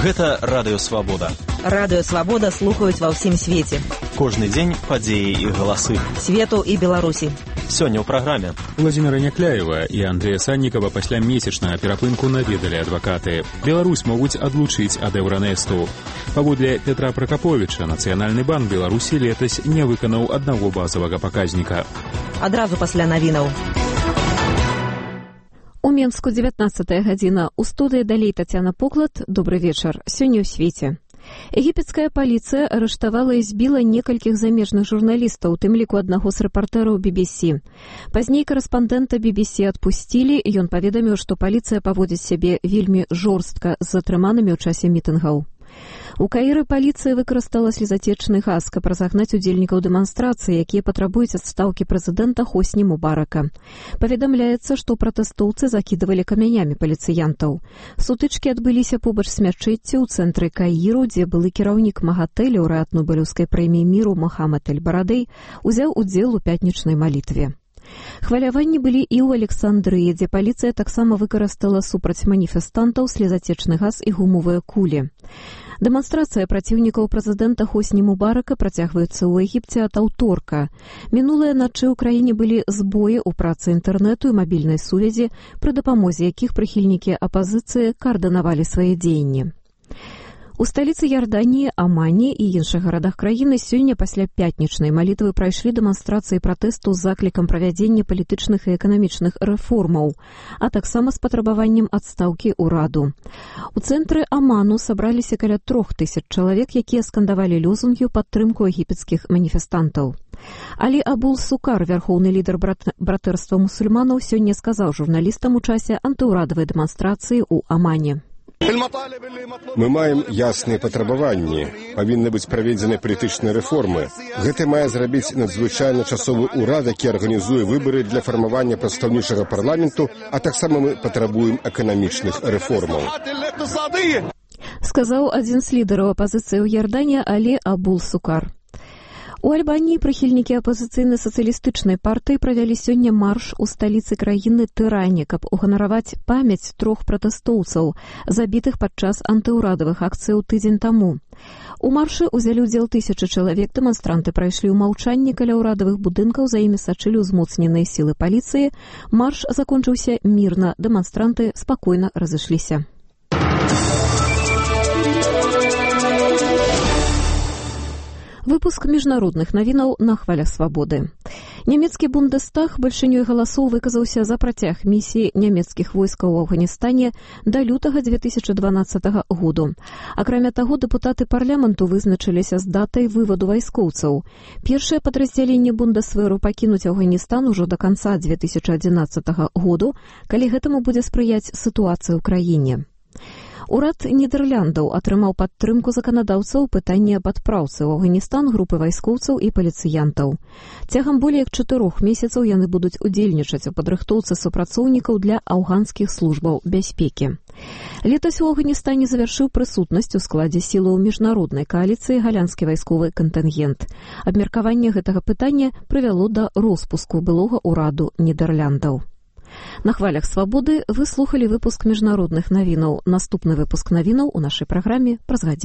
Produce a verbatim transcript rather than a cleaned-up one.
Гэта Радыё Свабода. Радыё Свабода слухаюць ва ўсім свеце. Кожны дзень падзеі і галасы. Свету і Беларусі. Сёння ў праграме. Владзіміра Някляева і Андрэя Саннікава пасля месячнага перапынку наведалі адвакаты. Беларусь могуць адлучыць ад Еўранэсту. Паводле Петра Пракаповіча, Нацыянальны банк Беларусі летась не выканаў аднаго базавага паказніка. Адразу пасля навінаў. У Менску дзевятнаццатая гадзіна. У студыі далей Тацяна Поклад. Добры вечар. Сёння ў свеце. Егіпецкая паліцыя арыштавала і збіла некалькіх замежных журналістаў, у тым ліку аднаго з рэпартэраў би би сі. Пазней карэспандэнта би би сі адпусцілі, і ён паведаміў, што паліцыя паводзіць сябе вельмі жорстка з затрыманымі ў часе мітынгаў. У Каіры паліцыя выкарыстала слезацечны газ, каб разагнаць удзельнікаў дэманстрацыі, якія патрабуюць адстаўкі прэзідэнта Хосні Мубарака. Паведамляецца, што пратэстоўцы закідывалі камянямі паліцыянтаў. Сутычкі адбыліся побач з мячэццю ў цэнтры Каіру, дзе былы кіраўнік МАГАТЭ, лаўрэат Нобелеўскай прэміі міру Мохамед эль-Барадэй узяў удзел у пятнічнай малітве. Хваляванні былі і ў Александрыі, дзе паліцыя таксама выкарыстала супраць маніфестантаў слезацечны газ і гумовыя кулі. Дэманстрацыя праціўнікаў прэзідэнта Хосні Мубарака працягваецца ў Егіпце ад аўторка. Мінулыя начы ў краіне былі збоі ў працы інтэрнэту і мабільнай сувязі, пры дапамозе якіх прыхільнікі апазіцыі каардынавалі свае дзеянні. У сталіцы Ярданіі, Амане і іншых гарадах краіны сёння пасля пятнічнай малітвы прайшлі дэманстрацыі пратэсту з заклікам правядзення палітычных і эканамічных рэформаў, а таксама з патрабаваннем адстаўкі ўраду. У цэнтры Аману сабраліся каля трох тысяч чалавек, якія скандавалі лозунгі ў падтрымку егіпецкіх маніфестантаў. Алі Абул Сукар, вярхоўны лідар брат... братэрства мусульманаў, сёння сказаў журналістам у часе антыўрадавай дэманстрацыі ў Амане. Мы маем ясныя патрабаванні. Павінны быць праведзены палітычныя рэформы. Гэта мае зрабіць надзвычайны часовы ўрад, які арганізуе выбары для фармавання прадстаўнічага парламенту, а таксама мы патрабуем эканамічных рэформаў. Сказаў адзін з лідараў апазіцыі ў Ярдані Алі Абул Сукар. У Альбаніі прыхільнікі апазіцыйнай сацыялістычнай партыі правялі сёння марш у сталіцы краіны Тыране, каб уганараваць памяць трох пратэстоўцаў, забітых падчас антыўрадавых акцыяў тыдзень таму. У маршы ўзялі ўдзел тысячы чалавек, дэманстранты прайшлі ў маўчанні каля ўрадавых будынкаў, за імі сачылі ўзмоцненыя сілы паліцыі. Марш закончыўся мірна, дэманстранты спакойна разышліся. Выпуск міжнародных навінаў на хвалях свабоды. Нямецкі Бундестаг бальшынёй галасоў выказаўся за працяг місіі нямецкіх войскаў у Афганістане да лютага дзве тысячы дванаццатага году. Акрамя таго, дэпутаты парламенту вызначыліся з датай вываду вайскоўцаў. Першае падраздзяленне Бундесверу пакінуць Афганістан ужо да канца дзве тысячы адзінаццатага году, калі гэтаму будзе спрыяць сітуацыя ў краіне. Урад Нідэрляндаў атрымаў падтрымку заканадаўцаў пытання аб адпраўцы ў Афганістан групы вайскоўцаў і паліцыянтаў. Цягам болей як чатырох месяцаў яны будуць удзельнічаць у падрыхтоўцы супрацоўнікаў для афганскіх службаў бяспекі. Летась у Афганістане завяршыў прысутнасць у складзе сілаў міжнароднай кааліцыі галянскі вайсковы кантынгент. Абмеркаванне гэтага пытання прывяло да роспуску былога ўраду Нідэрляндаў. На хвалях свабоды вы слухалі выпуск міжнародных навінаў. Наступны выпуск навінаў у нашай праграме праз гадзіну.